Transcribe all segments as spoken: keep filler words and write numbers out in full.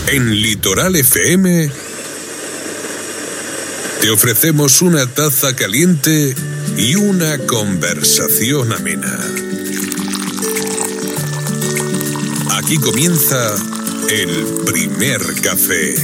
En Litoral F M te ofrecemos una taza caliente y una conversación amena. Aquí comienza el primer café.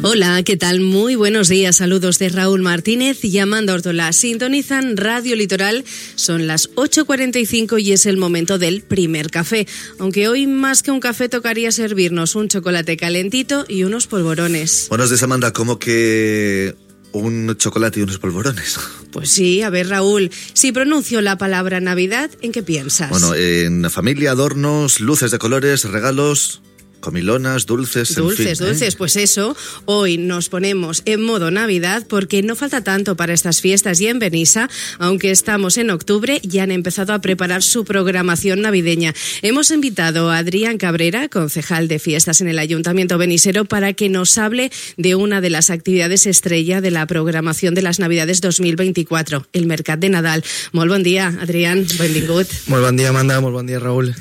Hola, ¿qué tal? Muy buenos días. Saludos de Raúl Martínez y Amanda Ortola. Sintonizan Radio Litoral. Son las ocho cuarenta y cinco y es el momento del primer café. Aunque hoy más que un café tocaría servirnos un chocolate calentito y unos polvorones. Buenos días, Amanda. ¿Cómo que un chocolate y unos polvorones? Pues sí, a ver, Raúl, si pronuncio la palabra Navidad, ¿en qué piensas? Bueno, en familia, adornos, luces de colores, regalos, comilonas, dulces, Dulces, en fin, dulces, ¿eh? Pues eso, hoy nos ponemos en modo Navidad porque no falta tanto para estas fiestas y en Benissa, aunque estamos en octubre, ya han empezado a preparar su programación navideña. Hemos invitado a Adrián Cabrera, concejal de fiestas en el Ayuntamiento benisero, para que nos hable de una de las actividades estrella de la programación de las Navidades dos mil veinticuatro, el Mercat de Nadal. Molt bon dia, Adrián, benvingut. Molt bon dia, Amanda, molt bon dia, Raúl.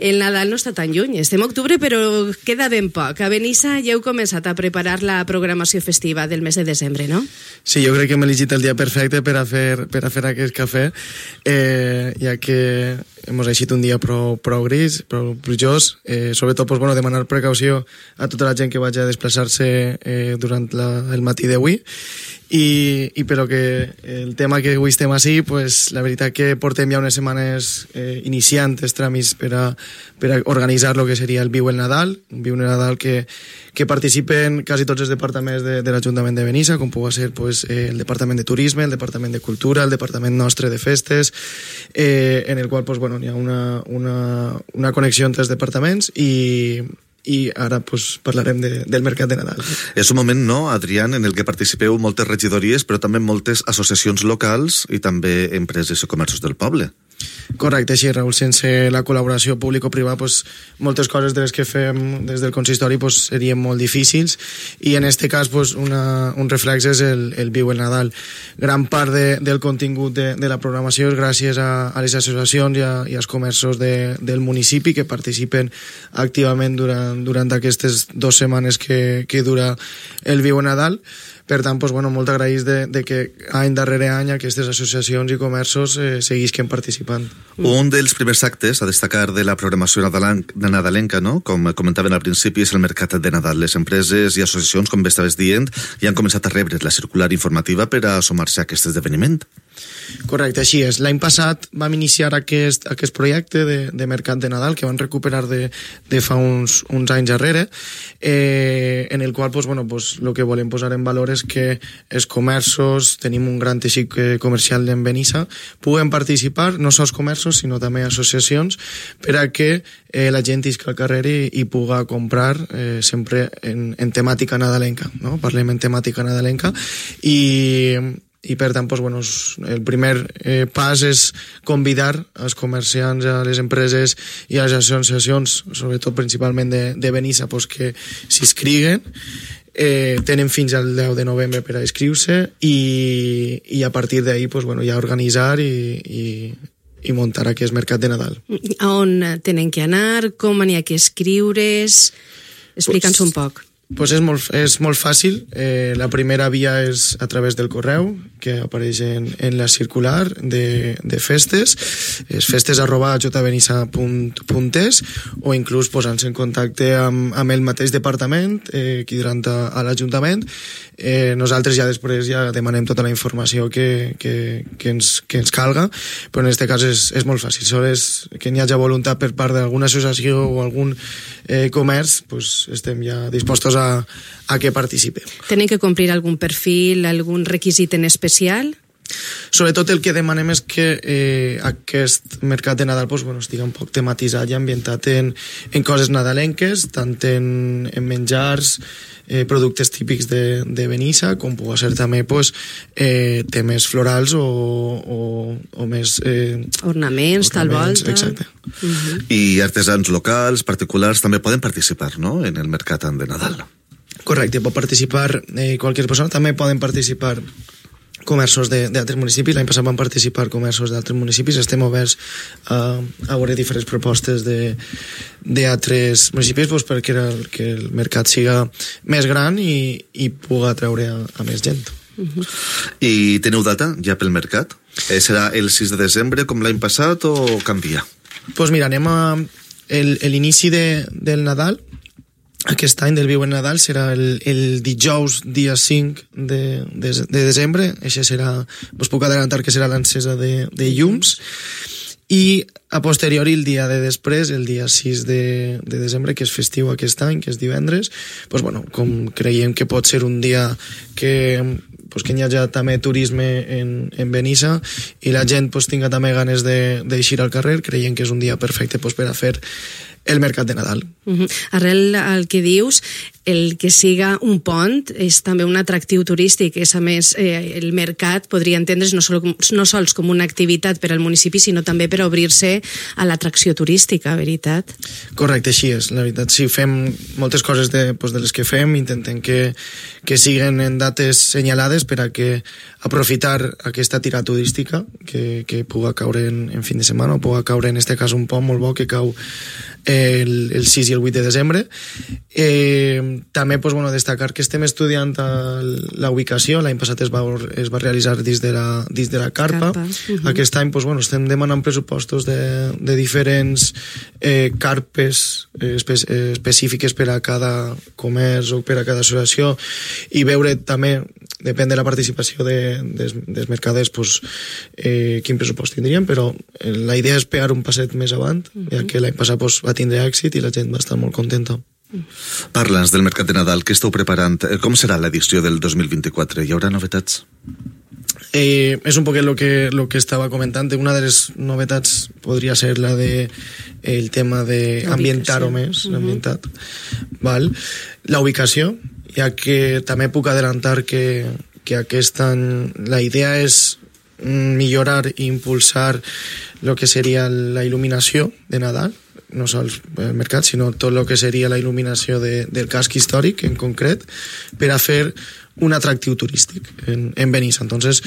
El Nadal no està tan lluny, estem a octubre, però queda ben poc. A Benissa ja heu començat a preparar la programació festiva del mes de desembre, no? Sí, jo crec que hem elegit el dia perfecte per a fer, per a fer aquest cafè, eh, ja que hem elegit un dia prou, prou gris, prou plujós, eh, sobretot pues, bueno, demanar precaució a tota la gent que vagi a desplaçar-se eh, durant la, el matí d'avui, i, i però que el tema que avui estem així, pues, la veritat que portem ja unes setmanes eh, iniciant els tràmits per a, per a organitzar el que seria el Viu el Nadal, un Viu el Nadal que, que participen quasi tots els departaments de, de l'Ajuntament de Benissa, com pugui ser pues, eh, el Departament de Turisme, el Departament de Cultura, el Departament nostre de Festes, eh, en el qual pues, bueno, hi ha una, una, una connexió entre els departaments i i ara pues, parlarem de, del Mercat de Nadal. És un moment, no, Adrián, en el que participeu moltes regidories, però també moltes associacions locals i també empreses i comerços del poble. Correcte, sí, Raúl. Sense la col·laboració público-privada, pues, moltes coses de les que fem des del consistori pues, serien molt difícils i en aquest cas pues, una, un reflex és el, el Viu el Nadal. Gran part de, del contingut de, de la programació és gràcies a, a les associacions i, a, i als comerços de, del municipi que participen activament durant, durant aquestes dues setmanes que, que dura el Viu el Nadal. Per tant, pues, bueno, molt agraïts de, de que any darrere any aquestes associacions i comerços eh, seguisquen participant. Un dels primers actes a destacar de la programació nadalenca, no? Com comentaven al principi, és el Mercat de Nadal. Les empreses i associacions, com bé estaves dient, ja han començat a rebre la circular informativa per a sumar-se a aquest esdeveniment. Correcte, així és. L'any passat vam iniciar aquest, aquest projecte de, de Mercat de Nadal que van recuperar de, de fa uns, uns anys darrere, eh, en el qual pues, bueno, pues, lo que volem posar en valor és que els comerços, tenim un gran teixit comercial en Benissa, puguen participar, no sols comerços, sinó també associacions, per a que eh, la gent isca al carrer i, i puga comprar eh, sempre en, en temàtica nadalenca, no? Parlem en temàtica nadalenca i... i per tant, pues, bueno, el primer eh, pas és convidar els comerciants, a les empreses i a les associacions, sobretot principalment de, de Benissa, pues, que s'inscriguen. Eh, tenen fins al deu de novembre per a inscriure-se i, i a partir d'ahí pues, bueno, ja organitzar i, i, i muntar aquest Mercat de Nadal. A on tenen que anar? Com n'hi ha que escriure's? Explica'ns pues, un poc. Pues és molt, és molt fàcil. Eh, la primera via és a través del correu que apareix en, en la circular de, de festes, és festes arroba jbenissa punt es, o inclús posant-se en contacte amb, amb el mateix departament eh, que durant a, a l'Ajuntament. Eh, nosaltres ja després ja demanem tota la informació que, que, que, ens, que ens calga, però en aquest cas és, és molt fàcil. Sols que n'hi hagi voluntat per part d'alguna associació o algun eh, comerç, pues estem ja dispostos a A, a que participe. Tenen que complir algun perfil, algun requisit en especial? Sobretot el que demanem és que eh, aquest Mercat de Nadal pues, bueno, estigui un poc tematitzat i ambientat en, en coses nadalenques, tant en, en menjars, eh, productes típics de, de Benissa, com pugui ser també pues, eh, temes florals o, o, o més... Eh, ornaments, ornaments, tal volta. Exacte. Uh-huh. I artesans locals, particulars, també poden participar, no?, en el Mercat de Nadal. Correcte, pot participar eh, qualsevol persona, també poden participar comerços d'altres municipis. L'any passat van participar comerços d'altres municipis. Estem oberts a, a veure diferents propostes d'altres municipis doncs perquè el, que el mercat siga més gran i, i pugui atreure a, a més gent. Uh-huh. I teniu data ja pel mercat? Eh, serà el sis de desembre com l'any passat o canvia? Doncs pues mira, anem a l'inici de, del Nadal. Aquest any del Viu en Nadal serà el, el dijous dia cinc de, de, de desembre. Això serà, us puc adelantar que serà l'encesa de, de llums, i a posteriori el dia de després, el dia sis de, de desembre, que és festiu aquest any, que és divendres, doncs, bueno, com creiem que pot ser un dia que, pues, que hi hagi també turisme en, en Benissa i la gent pues, tinga també ganes d'eixir al carrer, creiem que és un dia perfecte pues, per a fer el mercat de Nadal. Uh-huh. Arrel al que dius, el que siga un pont és també un atractiu turístic. És, a més, eh, el mercat podria entendre's no, sol, no sols com una activitat per al municipi, sinó també per obrir-se a l'atracció turística, veritat? Correcte, així és. La veritat, sí, fem moltes coses de, pues, de les que fem, intentem que, que siguen en dates senyalades per a que aprofitar aquesta tira turística que, que puga caure en, en fin de setmana, o puga caure en este cas un pont molt bo que cau el, el sis i el vuit de desembre. Eh, també pues, bueno, destacar que estem estudiant la ubicació. L'any passat es va, es va realitzar dins de la, dins de la carpa, carpa. Uh-huh. Aquest any pues, bueno, estem demanant pressupostos de, de diferents eh, carpes eh, espe específiques per a cada comerç o per a cada associació, i veure també, depèn de la participació de, des, dels mercaders, pues, eh, quin pressupost tindríem, però eh, la idea és pegar un passet més avant, uh-huh. ja que l'any passat pues, va tindre èxit i la gent va estar molt contenta. Parla'ns del mercat de Nadal, què esteu preparant? Com serà l'edició del dos mil vint-i-quatre? Hi haurà novetats? Eh, és un poc el que, lo que estava comentant. Una de les novetats podria ser la de el tema d'ambientar-ho més, uh-huh. ambientat. Val? La ubicació, ja que també puc adelantar que, que aquest any la idea és millorar i impulsar el que seria la il·luminació de Nadal, no sols el mercat, sinó tot el que seria la il·luminació de, del casc històric en concret, per a fer un atractiu turístic en, en Benissa. Entonces,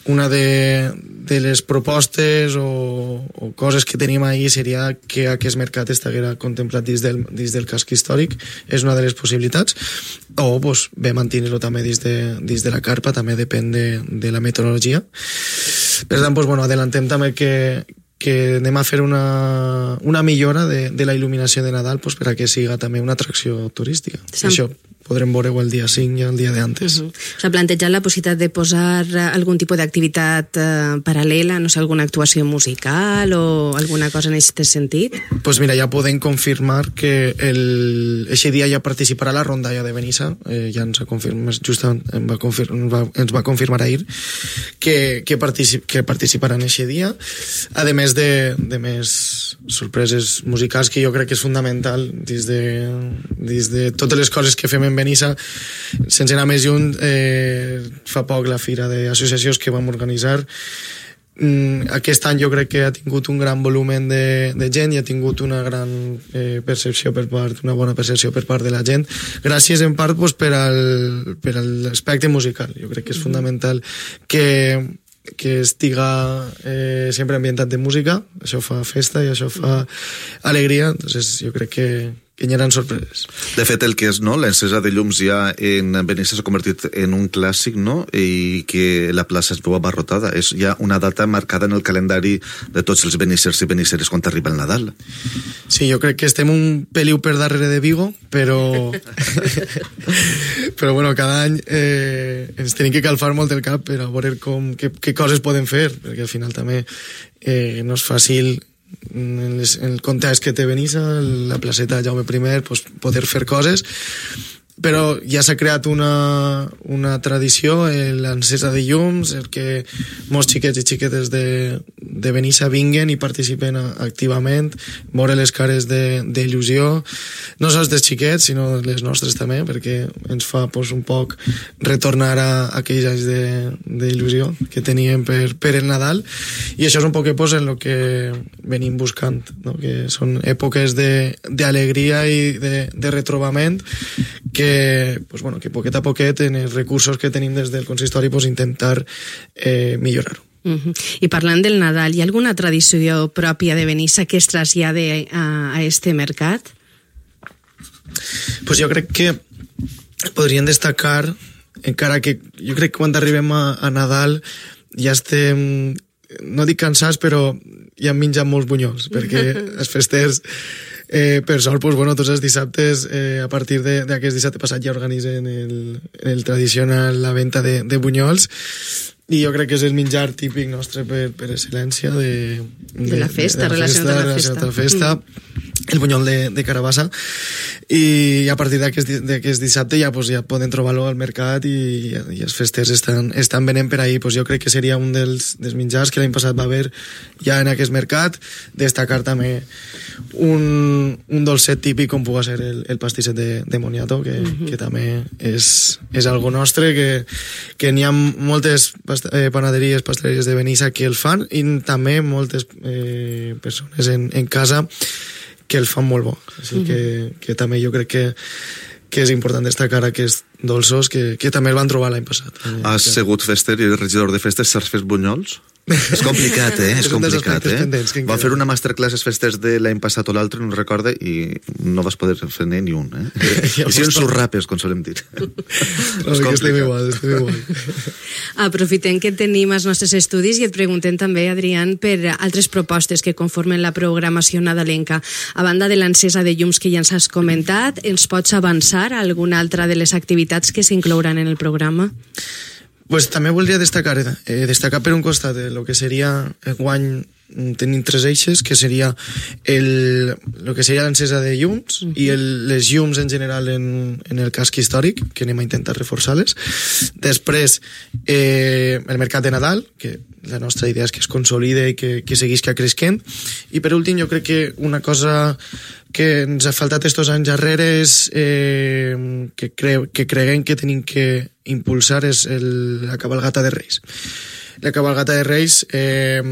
una de, de les propostes o, o coses que tenim ahí seria que aquest mercat estiguera contemplat dins del, dins del casc històric. És una de les possibilitats. O pues, bé mantenir-lo també dins de, dins de la carpa, també depèn de, de la meteorologia. Per tant, pues, bueno, adelantem també que que anem a fer una, una millora de, de la il·luminació de Nadal pues, per a que siga també una atracció turística. Sí. Això podrem veure-ho el dia cinc i el dia d'antes. Uh-huh. S'ha plantejat la possibilitat de posar algun tipus d'activitat eh, paral·lela, no sé, alguna actuació musical o alguna cosa en aquest sentit? Doncs pues mira, ja podem confirmar que el, eixe dia ja participarà la rondalla de Benissa, eh, ja ens ha confirmat, just em va confir, va, ens va confirmar ahir que, que, particip, que participaran eixe dia, a més de, de més sorpreses musicals que jo crec que és fundamental dins de, dins de totes les coses que fem en Benissa. Sense anar més lluny, eh, fa poc la fira d'associacions que vam organitzar, mm, aquest any jo crec que ha tingut un gran volumen de, de gent i ha tingut una gran eh, percepció per part, una bona percepció per part de la gent, gràcies en part pues, per, al, per a l'aspecte musical. Jo crec que és fundamental que que estiga eh, sempre ambientat de música. Això fa festa i això fa alegria. Entonces jo crec que, que hi haurà sorpreses. De fet, el que és no, l'encesa de llums ja en Benissa s'ha convertit en un clàssic, no? I que la plaça es veu abarrotada. És ja una data marcada en el calendari de tots els benissers i benisseres quan arriba el Nadal. Sí, jo crec que estem un peliu per darrere de Vigo, però però bueno, cada any eh, ens tenim que calfar molt el cap per a veure com, què, què coses podem fer, perquè al final també eh, no és fàcil en, les, en el context que té Benissa, la placeta Jaume primer, pues, poder fer coses, però ja s'ha creat una, una tradició, l'encesa de llums, el que molts xiquets i xiquetes de, de Benissa vinguen i participen activament, veure les cares d'il·lusió, no sols dels xiquets, sinó les nostres també, perquè ens fa pues, un poc retornar a, a aquells anys d'il·lusió que teníem per, per el Nadal, i això és un poc pues, en el que venim buscant, no? Que són èpoques d'alegria i de, de retrobament que, pues, bueno, que poquet a poquet en els recursos que tenim des del consistori pues, intentar eh, millorar-ho. Uh-huh. I parlant del Nadal, hi ha alguna tradició pròpia de Benissa que es trasllade a, a este mercat? Pues jo crec que podrien destacar, encara que jo crec que quan arribem a, a Nadal ja estem, no dic cansats, però ja hem menjat molts bunyols, perquè els festers, eh, per sort, pues, bueno, tots els dissabtes, eh, a partir d'aquest dissabte passat ja organitzen el, el tradicional la venda de, de bunyols, i jo crec que és el menjar típic nostre per, per excel·lència de, de, de la festa, de, de la festa, relacionat amb la festa, relacionat amb la festa mm. el bunyol de, de carabassa, i a partir d'aquest dissabte ja, pues, ja poden trobar-lo al mercat, i, i els festers estan, estan venent per ahí. Pues jo crec que seria un dels, dels menjars que l'any passat va haver ja en aquest mercat. Destacar també un, un dolcet típic com pugui ser el, el pastisset de, de moniato, que, mm-hmm. que també és, és algo nostre, que, que n'hi ha moltes past eh, panaderies, pasteleries de Benissa que el fan, i també moltes eh, persones en, en casa que el fan molt bo. Així mm-hmm. que, que també jo crec que, que és important destacar aquests dolços que, que també el van trobar l'any passat. Has sigut fester i regidor de festes, saps fer bunyols? És complicat, eh? És complicat, eh? Van fer una masterclass els festers de l'any passat o l'altre, no recorde, i no vas poder fer ni un, eh? I si sus rapes, com solem dir. No, que estem igual, estem igual. Aprofitem que tenim els nostres estudis i et preguntem també, Adrián, per altres propostes que conformen la programació nadalenca. A banda de l'encesa de llums que ja ens has comentat, ens pots avançar a alguna altra de les activitats que s'inclouran en el programa? Pues també voldria destacar, eh, destacar per un costat el que seria el guany, tenim tres eixes, que seria el, el que seria l'encesa de llums uh-huh. i el, les llums en general en, en el casc històric, que anem a intentar reforçar-les. Després, eh, el mercat de Nadal, que la nostra idea és que es consolide i que, que seguisca creixent. I per últim, jo crec que una cosa que ens ha faltat estos anys darrere és eh, que, cre que creguem que tenim que impulsar és el, la cabalgata de Reis. La cabalgata de Reis eh,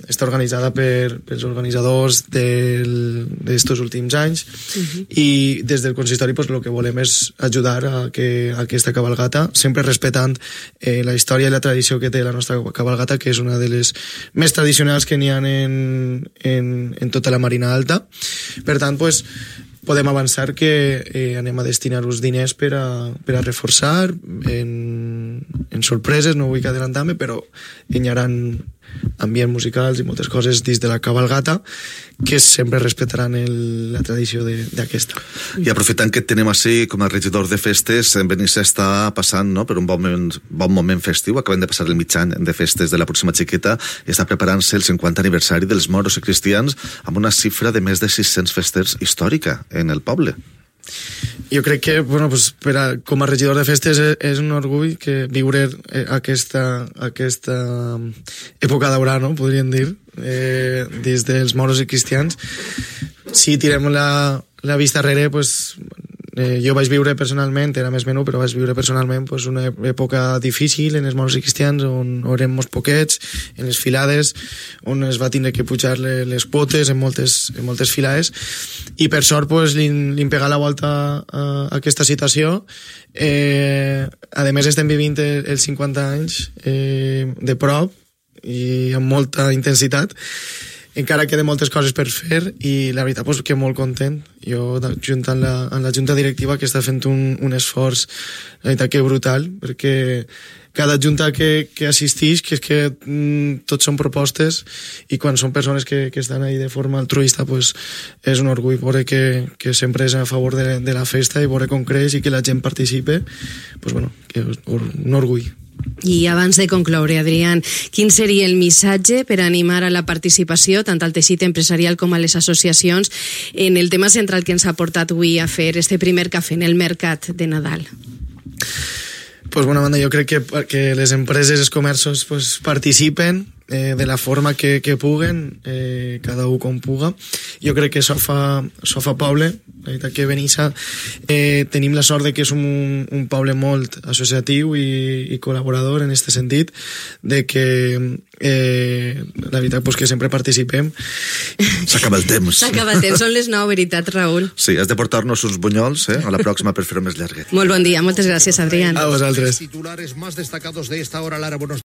està organitzada per, pels organitzadors d'estos últims anys uh-huh. i des del consistori pues, el que volem és ajudar a que a aquesta cabalgata, sempre respectant eh, la història i la tradició que té la nostra cabalgata, que és una de les més tradicionals que n'hi ha en, en, en tota la Marina Alta. Per tant, pues, podem avançar que eh, anem a destinar uns diners per a, per a reforçar en, en sorpreses, no vull que adelantar-me, però hi haurà ambients musicals i moltes coses dins de la cabalgata que sempre respectaran el, la tradició d'aquesta. I aprofitant que et tenem així com a regidor de festes, en Benissa està passant no, per un bon moment, bon moment festiu, acabem de passar el mig any de festes de la pròxima xiqueta i està preparant-se el cinquanta aniversari dels moros i cristians amb una xifra de més de sis-cents festers històrica en el poble. Jo crec que, bueno, pues, per a, com a regidor de festes és, és un orgull que viure eh, aquesta, aquesta època daurada, no? Podríem dir, eh, des dels moros i cristians. Si tirem la, la vista darrere, pues, eh, jo vaig viure personalment, era més menú, però vaig viure personalment pues, una època difícil en els moros i cristians, on, on érem molts poquets, en les filades, on es va tindre que pujar les, les quotes en moltes, en moltes filades, i per sort pues, li, li hem pegat la volta a, a aquesta situació. Eh, a més estem vivint els cinquanta anys eh, de prop i amb molta intensitat. Encara queden moltes coses per fer i la veritat pues, que molt content. Jo junt amb la, amb la junta directiva que està fent un, un esforç la veritat que brutal, perquè cada junta que, que assistix, que és que mm, tots són propostes i quan són persones que, que estan ahí de forma altruista pues, és un orgull veure que, que sempre és a favor de, de la festa i veure com creix i que la gent participe, pues, bueno, que és un orgull. I abans de concloure, Adrián, quin seria el missatge per animar a la participació, tant al teixit empresarial com a les associacions, en el tema central que ens ha portat avui a fer este primer cafè en el mercat de Nadal? Pues, bona banda, jo crec que, que les empreses, els comerços pues, participen, eh, de la forma que, que puguen, eh, cada un com puga. Jo crec que això fa, això fa poble. La veritat que Benissa eh, tenim la sort de que és un, un poble molt associatiu i, i col·laborador en aquest sentit, de que eh, la veritat pues, que sempre participem. S'acaba el temps. S'acaba el temps, són les nou, veritat, Raül? Sí, has de portar-nos uns bunyols eh, a la pròxima per fer-ho més llarguet. Molt bon dia, moltes gràcies, Adrián. A vosaltres. Titulares más destacados de esta hora, Lara, buenos